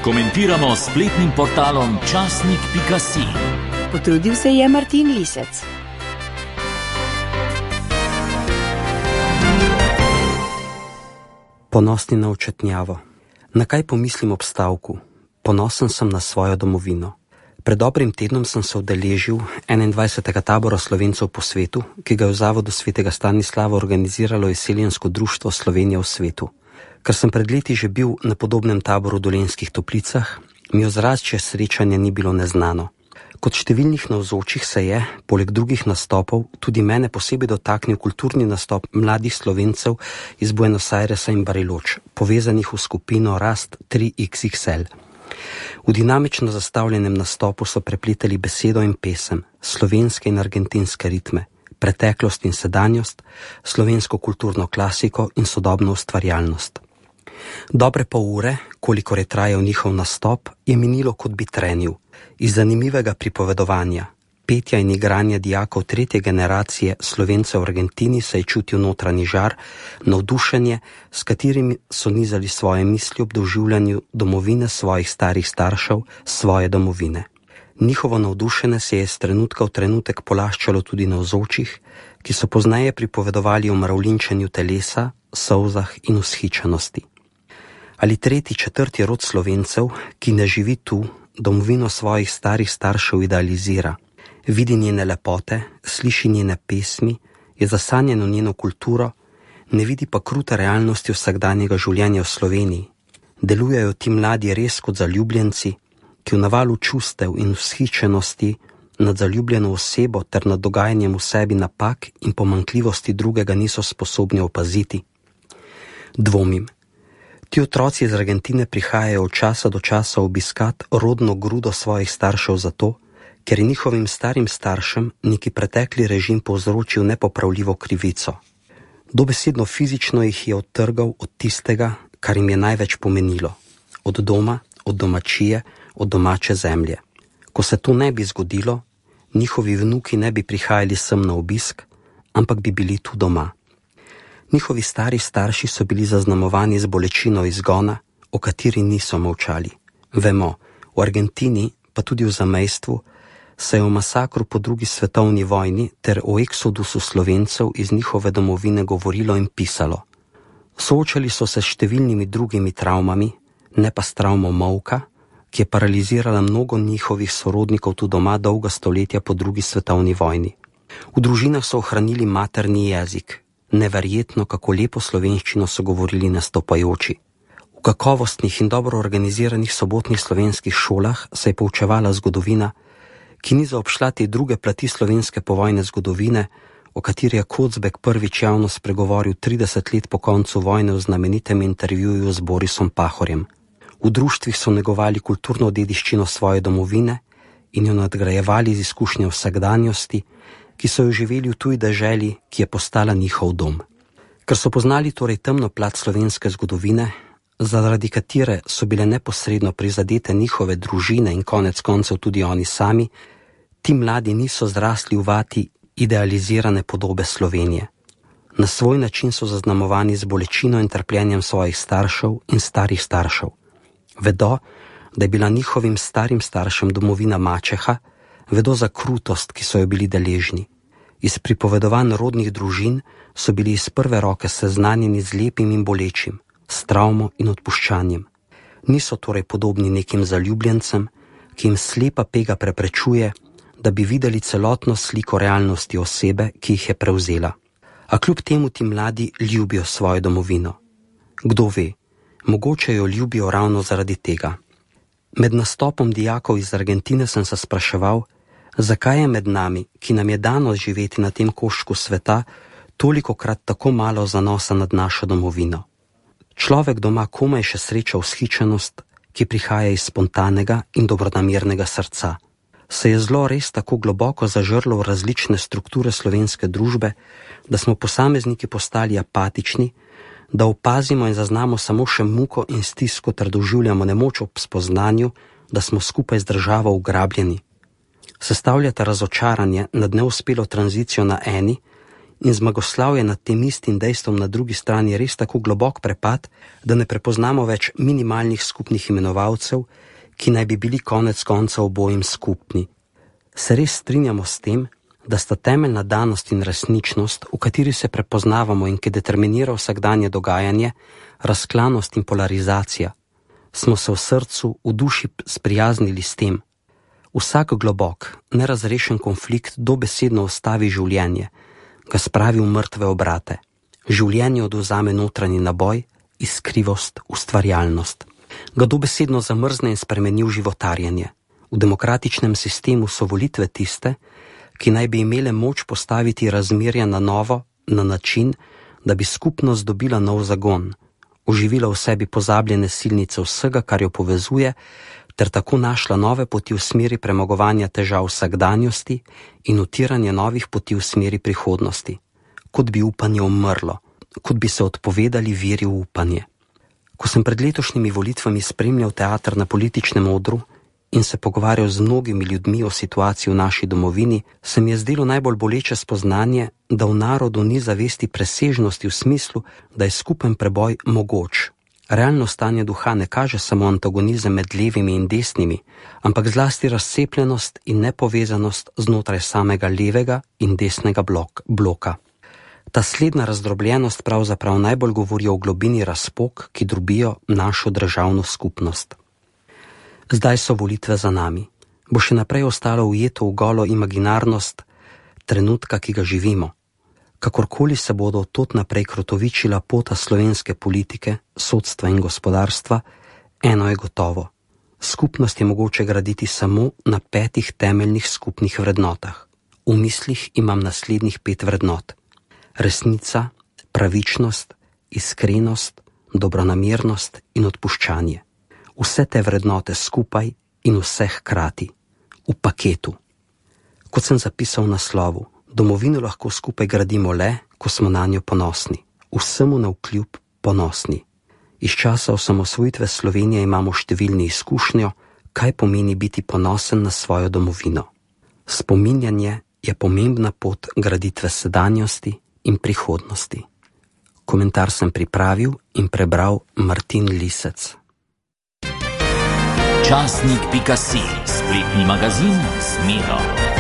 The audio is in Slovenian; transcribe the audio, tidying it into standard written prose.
Komentiramo s spletnim portalom časnik.si. Potrudil se je Martin Lisec. Ponosni na očetnjavo. Na kaj pomislim ob stavku? Ponosen sem na svojo domovino. Pred dobrim tednom sem se udeležil 21. tabora Slovencev po svetu, ki ga je v Zavodu svetega Stanislava organiziralo Izseljensko društvo Slovenija v svetu. Ker sem pred leti že bil na podobnem taboru v Dolenjskih Toplicah, mi ozračje srečanja ni bilo neznano. Kot številnih navzočih se je, poleg drugih nastopov, tudi mene posebej dotaknil kulturni nastop mladih Slovencev iz Buenos Airesa in Bariloč, povezanih v skupino Rast 3XXL. V dinamično zastavljenem nastopu so prepletali besedo in pesem, slovenske in argentinske ritme, preteklost in sedanjost, slovensko kulturno klasiko in sodobno ustvarjalnost. Dobre pol ure, kolikor je trajal njihov nastop, je minilo kot bi trenil. Iz zanimivega pripovedovanja, petja in igranja dijakov tretje generacije Slovencev v Argentini se je čutil notranji žar, navdušenje, s katerimi so nizali svoje misli ob doživljanju domovine svojih starih staršev, svoje domovine. Njihovo navdušenje se je z trenutka v trenutek polaščalo tudi navzočih, ki so pozneje pripovedovali o mravljinčenju telesa, solzah in vzhičenosti. Ali tretji, četrti rod Slovencev, ki ne živi tu, domovino svojih starih staršev idealizira, vidi njene lepote, sliši njene pesmi, je zasanjen v njeno kulturo, ne vidi pa krute realnosti vsakdanjega življenja v Sloveniji. Delujejo ti mladi res kot zaljubljenci, ki v navalu čustev in vzhičenosti nad zaljubljeno osebo ter nad dogajanjem v sebi napak in pomanjkljivosti drugega niso sposobni opaziti. Dvomim. Ti otroci iz Argentine prihajajo od časa do časa obiskat rodno grudo svojih staršev zato, ker je njihovim starim staršem neki pretekli režim povzročil nepopravljivo krivico. Dobesedno fizično jih je odtrgal od tistega, kar jim je največ pomenilo. Od doma, od domačije, od domače zemlje. Ko se to ne bi zgodilo, njihovi vnuki ne bi prihajali sem na obisk, ampak bi bili tu doma. Njihovi stari starši so bili zaznamovani z bolečino izgona, o kateri niso molčali. Vemo, v Argentini, pa tudi v zamejstvu, se je o masakru po drugi svetovni vojni ter o eksodusu Slovencev iz njihove domovine govorilo in pisalo. Soočali so se s številnimi drugimi travmami, ne pa s travmo molka, ki je paralizirala mnogo njihovih sorodnikov tu doma dolga stoletja po drugi svetovni vojni. V družinah so ohranili materni jezik. Neverjetno, kako lepo slovenščino so govorili nastopajoči. V kakovostnih in dobro organiziranih sobotnih slovenskih šolah se je poučevala zgodovina, ki ni zaobšla te druge plati slovenske povojne zgodovine, o kateri je Kocbek prvič javno spregovoril 30 let po koncu vojne v znamenitem intervjuju z Borisom Pahorjem. V društvih so negovali kulturno dediščino svoje domovine in jo nadgrajevali z izkušnjo vsakdanjosti, ki so jo živeli v tuji deželi, ki je postala njihov dom. Ker so poznali torej temno plat slovenske zgodovine, zaradi katere so bile neposredno prizadete njihove družine in konec koncev tudi oni sami, ti mladi niso zrasli v vati idealizirane podobe Slovenije. Na svoj način so zaznamovani z bolečino in trpljenjem svojih staršev in starih staršev. Vedo, da je bila njihovim starim staršem domovina mačeha, vedo za krutost, ki so jo bili deležni. Iz pripovedovanj rodnih družin so bili iz prve roke seznanjeni z lepim in bolečim, s travmo in odpuščanjem. Niso torej podobni nekim zaljubljencem, ki jim slepa pega preprečuje, da bi videli celotno sliko realnosti osebe, ki jih je prevzela. A kljub temu ti mladi ljubijo svojo domovino. Kdo ve, mogoče jo ljubijo ravno zaradi tega. Med nastopom dijakov iz Argentine sem se spraševal, zakaj je med nami, ki nam je dano živeti na tem koščku sveta, tolikokrat tako malo zanosa nad našo domovino. Človek doma komaj še sreča vzhičenost, ki prihaja iz spontanega in dobronamernega srca. Se je zlo res tako globoko zažrlo v različne strukture slovenske družbe, da smo posamezniki postali apatični, da opazimo in zaznamo samo še muko in stisko ter doživljamo nemoč ob spoznanju, da smo skupaj z državo ugrabljeni. Sestavljata razočaranje nad neuspelo tranzicijo na eni in zmagoslavje nad tem istim dejstvom na drugi strani res tako globok prepad, da ne prepoznamo več minimalnih skupnih imenovalcev, ki naj bi bili konec konca obojim skupni. Se res strinjamo s tem, da sta temeljna danost in resničnost, v kateri se prepoznavamo in ki determinira vsakdanje dogajanje, razklanost in polarizacija. Smo se v srcu, v duši sprijaznili s tem. Vsak globok, nerazrešen konflikt dobesedno ustavi življenje, ga spravi v mrtve obrate. Življenje odvzame notranji naboj, iskrivost, ustvarjalnost. Ga dobesedno zamrzne in spremeni v životarjenje. V demokratičnem sistemu so volitve tiste, ki naj bi imele moč postaviti razmerja na novo, na način, da bi skupnost dobila nov zagon, oživila v sebi pozabljene silnice vsega, kar jo povezuje, ter tako našla nove poti v smeri premagovanja težav vsakdanjosti in utiranja novih poti v smeri prihodnosti. Kot bi upanje umrlo, kot bi se odpovedali veri v upanje. Ko sem pred letošnjimi volitvami spremljal teater na političnem odru in se pogovarjal z mnogimi ljudmi o situaciji v naši domovini, se mi je zdelo najbolj boleče spoznanje, da v narodu ni zavesti presežnosti v smislu, da je skupen preboj mogoč. Realno stanje duha ne kaže samo antagonizem med levimi in desnimi, ampak zlasti razcepljenost in nepovezanost znotraj samega levega in desnega bloka. Ta slednja razdrobljenost pravzaprav najbolj govori o globini razpok, ki drobijo našo državno skupnost. Zdaj so volitve za nami. Bo še naprej ostalo ujeto v golo imaginarnost trenutka, ki ga živimo. Kakorkoli se bodo od tod naprej krotovičila pota slovenske politike, sodstva in gospodarstva, eno je gotovo. Skupnost je mogoče graditi samo na 5 temeljnih skupnih vrednotah. V mislih imam naslednjih 5 vrednot. Resnica, pravičnost, iskrenost, dobronamernost in odpuščanje. Vse te vrednote skupaj in vse hkrati. V paketu. Kot sem zapisal v naslovu, domovino lahko skupaj gradimo le, ko smo na njo ponosni. Vsemu navkljub ponosni. Iz časa osamosvojitve Slovenije imamo številni izkušnjo, kaj pomeni biti ponosen na svojo domovino. Spominjanje je pomembna pot graditve sedanjosti in prihodnosti. Komentar sem pripravil in prebral Martin Lisec. Časnik.si, spletni magazin z Miro.